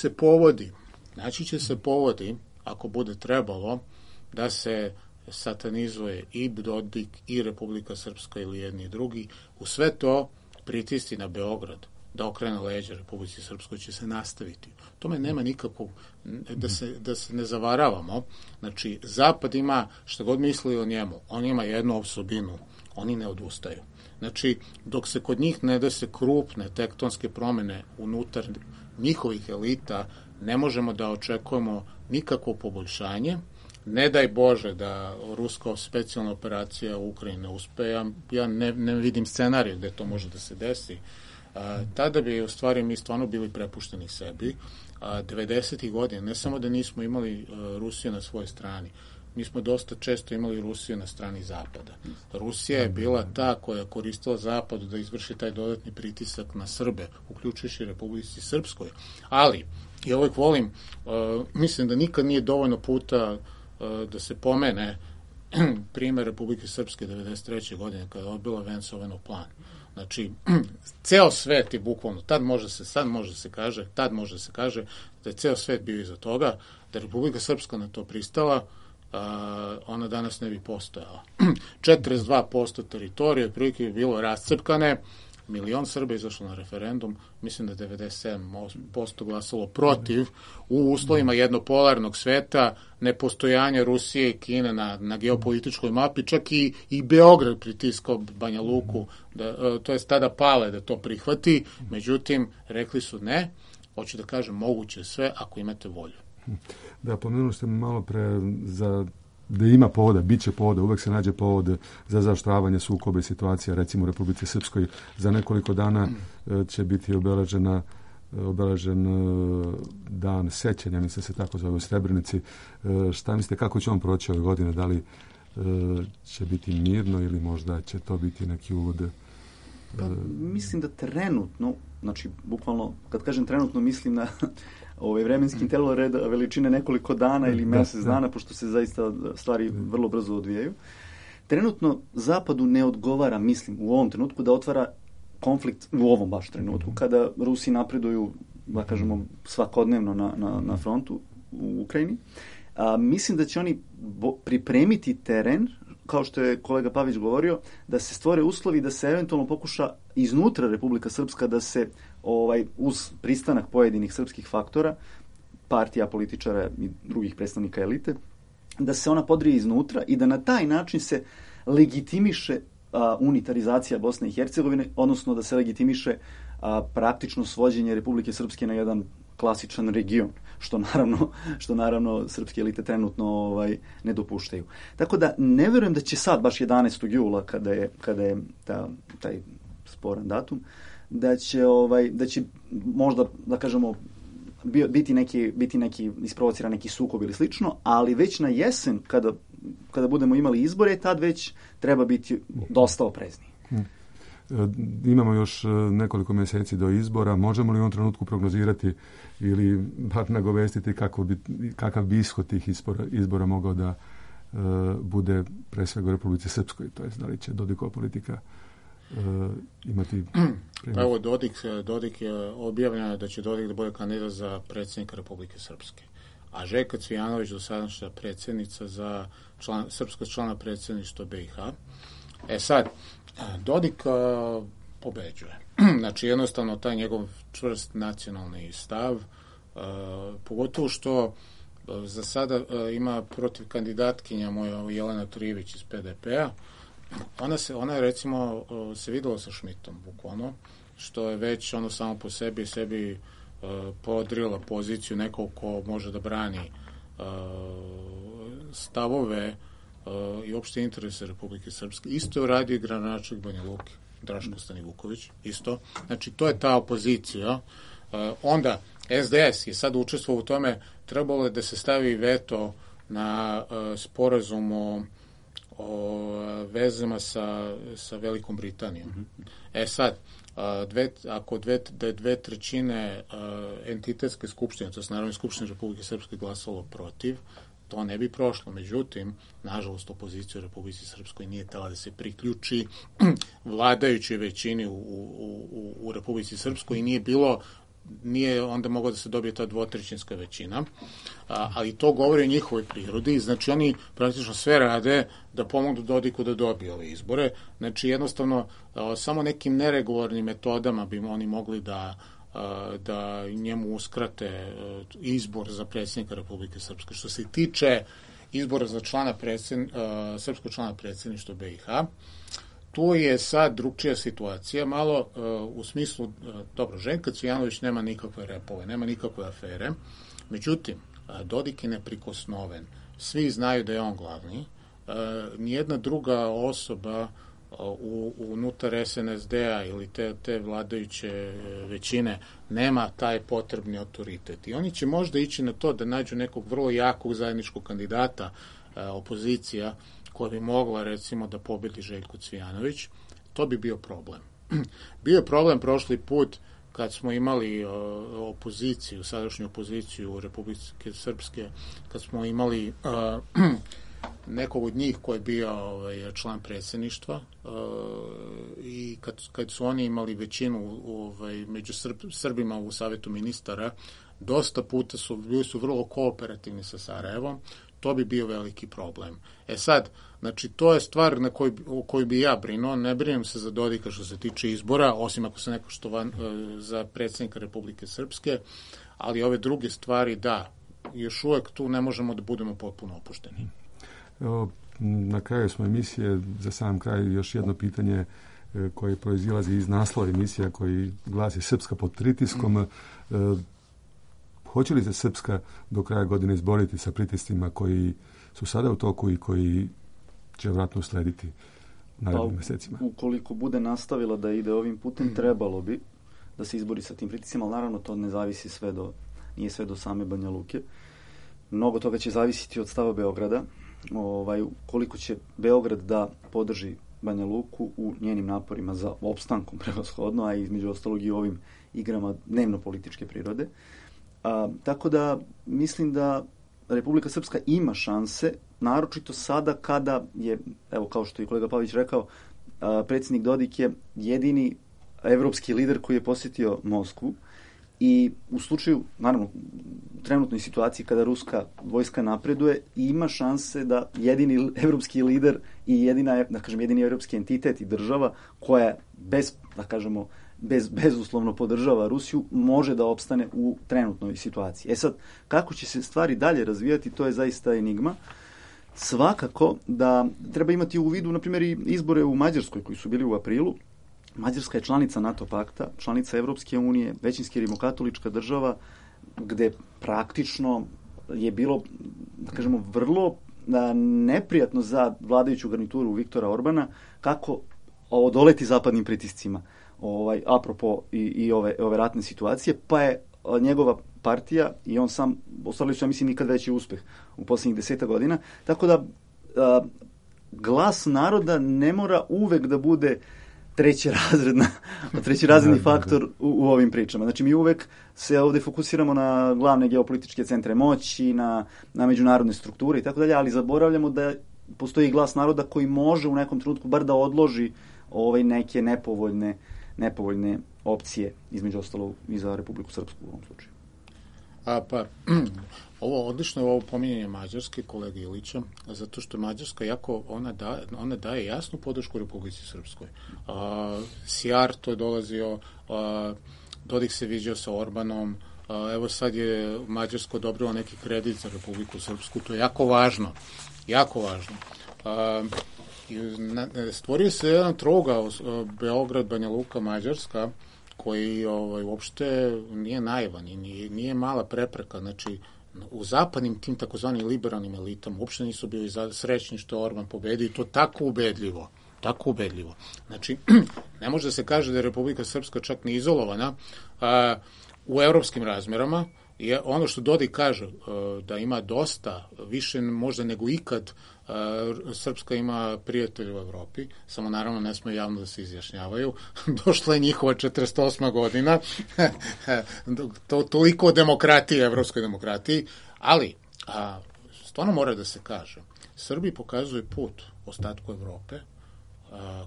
se povodi, ako bude trebalo, da se satanizuje i Dodik i Republika Srpska ili jedni i drugi. U sve to pritisci na Beograd da okrene leđa Republici Srpskoj će se nastaviti. Tome nema nikakvog, da se ne zavaravamo. Znači, Zapad ima, šta god misli o njemu, on ima jednu osobinu, oni ne odustaju. Znači, dok se kod njih ne dese krupne tektonske promene unutar njihovih elita, ne možemo da očekujemo nikakvo poboljšanje. Ne daj Bože da ruska specijalna operacija u Ukrajini ne uspe, ja ne vidim scenarij gde to može da se desi. Tada bi u stvari mi stvarno bili prepušteni sebi. 90. godina, ne samo da nismo imali Rusiju na svojoj strani, mi smo dosta često imali Rusiju na strani Zapada. Rusija je bila ta koja je koristila Zapadu da izvrši taj dodatni pritisak na Srbe, uključujući Republici Srpskoj. Ali, ja uvijek volim, mislim da nikad nije dovoljno puta da se pomene primer Republike Srpske 93. godine kada je odbila Venceovanov plan. Znači, ceo svet je bukvalno, tad može se kaže da je ceo svet bio iza toga, da je Republika Srpska na to pristala, ona danas ne bi postojala. 42% teritorije otprilike bi bilo rascepkane, 1 milion Srba izašlo na referendum, mislim da 97% glasalo protiv, u uslovima jednopolarnog sveta, nepostojanja Rusije i Kine na geopolitičkoj mapi, čak i Beograd pritiskao Banja Luku, to je tada Pale da to prihvati, međutim, rekli su ne, hoću da kažem, moguće sve ako imate volju. Da, pomenuli ste malo pre da ima povoda, bit će povoda, uvek se nađe povod za zaoštravanje sukoba i situacija, recimo u Republici Srpskoj. Za nekoliko dana će biti obeležen dan sećanja, mislim se tako zove u Srebrenici. Šta mislite, kako će on proći ove godine? Da li će biti mirno ili možda će to biti neki uvod? Pa, mislim da trenutno, znači bukvalno, kad kažem trenutno, mislim na vremenski interval reda veličine nekoliko dana ili mesec dana, pošto se zaista stvari vrlo brzo odvijaju. Trenutno Zapadu ne odgovara, mislim, u ovom trenutku da otvara konflikt, u ovom baš trenutku, kada Rusi napreduju da kažemo, svakodnevno na frontu u Ukrajini. Mislim da će oni pripremiti teren, kao što je kolega Pavić govorio, da se stvore uslovi da se eventualno pokuša iznutra Republika Srpska da se uz pristanak pojedinih srpskih faktora, partija, političara i drugih predstavnika elite, da se ona podrije iznutra i da na taj način se legitimiše unitarizacija Bosne i Hercegovine, odnosno da se legitimiše praktično svođenje Republike Srpske na jedan klasičan region, što naravno srpske elite trenutno ne dopuštaju. Tako da ne verujem da će sad, baš 11. jula, kada je taj sporan datum, da će možda, da kažemo, biti neki isprovociran neki sukob ili slično, ali već na jesen, kada budemo imali izbore, tad već treba biti dosta oprezniji. Imamo još nekoliko mjeseci do izbora. Možemo li u ovom trenutku prognozirati ili bar nagovestiti kakav bi ishod tih izbora mogao da bude pre svega u Republici Srpskoj? To jest, da li će Dodikova politika imati... Pa evo, Dodik je objavljeno da će Dodik da bude kandidat za predsjednika Republike Srpske. A Željka Cvijanović, dosadašnja predsjednica za srpskog člana predsjedništva BiH. Sad, Dodik pobeđuje. Znači, jednostavno, taj njegov čvrst nacionalni stav, pogotovo što za sada ima protiv kandidatkinja moja Jelena Trijević iz PDP-a, ona je recimo se videla sa Šmitom, bukvalno, što je već ono samo po sebi podrila poziciju nekog ko može da brani stavove i opšte interese Republike Srpske. Isto je uradio i gradonačelnik Banja Luke, Draško Stanivuković, isto. Znači, to je ta opozicija. Onda, SDS je sad učestvovao u tome, trebalo je da se stavi veto na sporazum o vezama sa Velikom Britanijom. Sad, ako dve trećine entitetske skupštine, to je Narodne skupštine Republike Srpske, glasalo protiv, to ne bi prošlo. Međutim, nažalost, opozicija u Republici Srpskoj nije htela da se priključi vladajućoj većini u Republici Srpskoj i nije onda mogla da se dobije ta dvotrećinska većina, ali to govori o njihovoj prirodi. Znači, oni praktično sve rade da pomognu Dodiku da dobije ove izbore. Znači, jednostavno, samo nekim neregularnim metodama bi oni mogli da njemu uskrate izbor za predsjednika Republike Srpske. Što se tiče izbora za srpskog člana predsjedništva BiH, tu je sad drugčija situacija, malo u smislu, dobro, Željko Cvijanović nema nikakve repove, nema nikakve afere, međutim, Dodik je neprikosnoven. Svi znaju da je on glavni. Nijedna druga osoba unutar SNSD-a ili te vladajuće većine nema taj potrebni autoritet. I oni će možda ići na to da nađu nekog vrlo jakog zajedničkog kandidata opozicija koja bi mogla, recimo, da pobedi Željko Cvijanović. To bi bio problem. Bio je problem prošli put kad smo imali opoziciju, sadašnju opoziciju u Republike Srpske, kad smo imali nekog od njih koji je bio član predsjedništva i kad su oni imali većinu među Srbima u Savetu ministara, dosta puta bili su vrlo kooperativni sa Sarajevom. To bi bio veliki problem. Sad, znači, to je stvar o kojoj bi ja brinuo. Ne brinem se za Dodika što se tiče izbora, osim ako se neko što za predsjednika Republike Srpske, ali ove druge stvari, da, još uvek tu ne možemo da budemo potpuno opušteni. Na kraju smo emisije, za sam kraj još jedno pitanje koje proizilazi iz naslova emisija koji glasi Srpska pod pritiskom. Hoće li se Srpska do kraja godine izboriti sa pritiscima koji su sada u toku i koji će vjerojatno uslediti narednim mjesecima? Ukoliko bude nastavila da ide ovim putem, trebalo bi da se izbori sa tim pritiscima, ali naravno to ne zavisi nije sve do same Banja Luke. Mnogo toga će zavisiti od stava Beograda. Koliko će Beograd da podrži Banja Luku u njenim naporima za opstankom prevashodno, a između ostalog i ovim igrama dnevno-političke prirode. Tako da mislim da Republika Srpska ima šanse, naročito sada kada je, evo kao što je kolega Pavić rekao, predsjednik Dodik je jedini evropski lider koji je posjetio Moskvu i u slučaju, naravno, u trenutnoj situaciji kada ruska vojska napreduje, ima šanse da jedini evropski lider i jedini evropski entitet i država koja bezuslovno podržava Rusiju, može da opstane u trenutnoj situaciji. Sad, kako će se stvari dalje razvijati, to je zaista enigma. Svakako da treba imati u vidu, na primjer, i izbore u Mađarskoj koji su bili u aprilu. Mađarska je članica NATO pakta, članica Evropske unije, većinski rimokatolička država, gde praktično je bilo, vrlo neprijatno za vladajuću garnituru Viktora Orbana kako odoleti zapadnim pritiscima, apropo i ove ratne situacije, pa je njegova partija i on sam ostvarili su, ja mislim, nikad veći uspeh u posljednjih 10 godina. Tako da glas naroda ne mora uvek da bude trećerazredni faktor u ovim pričama. Znači, mi uvek se ovde fokusiramo na glavne geopolitičke centre moći, na međunarodne strukture i tako dalje, ali zaboravljamo da postoji glas naroda koji može u nekom trenutku bar da odloži neke nepovoljne opcije, između ostalog i za Republiku Srpsku u ovom slučaju. Odlično je ovo pominjanje Mađarske, kolege Ilića, zato što Mađarska ona daje jasnu podršku Republici Srpskoj. Sijarto je dolazio, Dodik se viđao sa Orbanom, evo sad je Mađarsko odobrilo neki kredit za Republiku Srpsku, to je jako važno. Stvorio se jedan trougao Beograd, Banja Luka, Mađarska, koji uopšte nije naivan i nije mala prepreka. Znači, u zapadnim tim takozvanim liberalnim elitama uopšte nisu bili srećni što je Orban pobedio i to tako ubedljivo. Znači, ne može da se kaže da je Republika Srpska čak ni izolovana u evropskim razmerama. Ono što Dodik kaže, da ima dosta, više možda nego ikad, Srpska ima prijatelja u Evropi, samo naravno ne smije javno da se izjašnjavaju. Došla je njihova 48. godina, toliko o demokratiji, evropskoj demokratiji, ali stvarno mora da se kaže, Srbiji pokazuje put ostatku Evrope,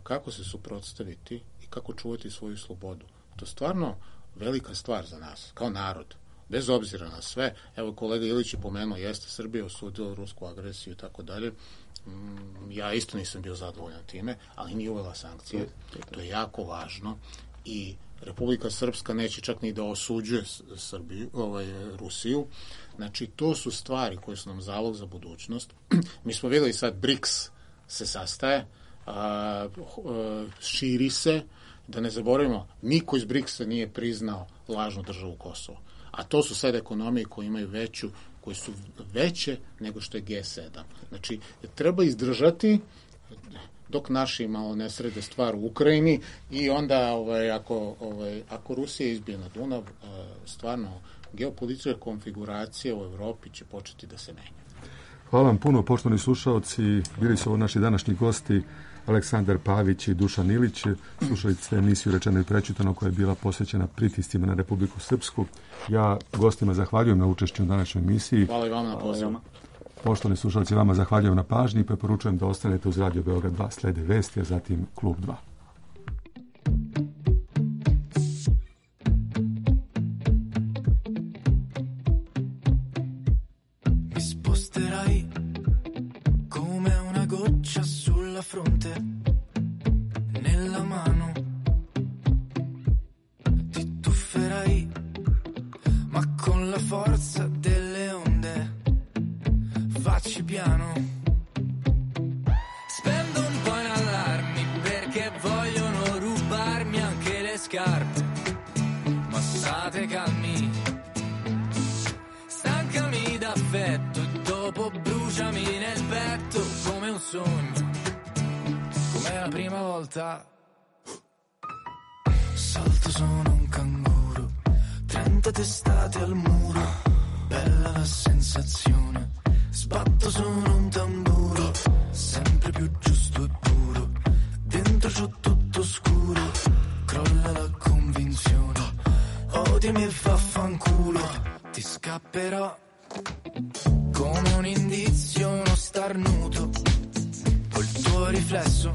kako se suprotstaviti i kako čuvati svoju slobodu. To je stvarno velika stvar za nas, kao narod. Bez obzira na sve, evo kolega Ilić je pomenuo, jeste Srbija osudila rusku agresiju i tako dalje. Ja isto nisam bio zadovoljan time, ali nije uvela sankcije. To je jako važno i Republika Srpska neće čak ni da osuđuje Rusiju. Znači, to su stvari koje su nam zalog za budućnost. Mi smo videli sad BRICS se sastaje, širi se, da ne zaboravimo, niko iz BRICS-a nije priznao lažnu državu Kosovo. A to su sad ekonomije koje imaju koje su veće nego što je G7. Znači, treba izdržati dok naši malo ne srede stvar u Ukrajini i onda ako Rusija izbije na Dunav, stvarno geopolitička konfiguracija u Evropi će početi da se menja. Hvala vam puno, poštovani slušaoci. Bili su ovo naši današnji gosti Aleksandar Pavić i Dušan Ilić. Slušali ste emisiju Rečeno i prečitano koja je bila posvećena pritiscima na Republiku Srpsku. Ja gostima zahvaljujem na učešću u današnjoj emisiji. Hvala i vama na pozivu. Poštovani slušalci, vama zahvaljujem na pažnji i preporučujem da ostanete uz Radio Beograd 2. Slede vesti, a zatim Klub 2. Fronte nella mano ti tufferai, ma con la forza delle onde facci piano. Spendo un po' in allarmi perché vogliono rubarmi anche le scarpe, ma state calmi, stancami d'affetto e dopo bruciami nel petto come un sogno. Come la prima volta salto sono un canguro, 30 testate al muro, bella la sensazione, sbatto sono un tamburo, sempre più giusto e puro, dentro c'ho tutto scuro, crolla la convinzione, odiami e vaffanculo, ti scapperò come un indizio, uno starnuto, col tuo riflesso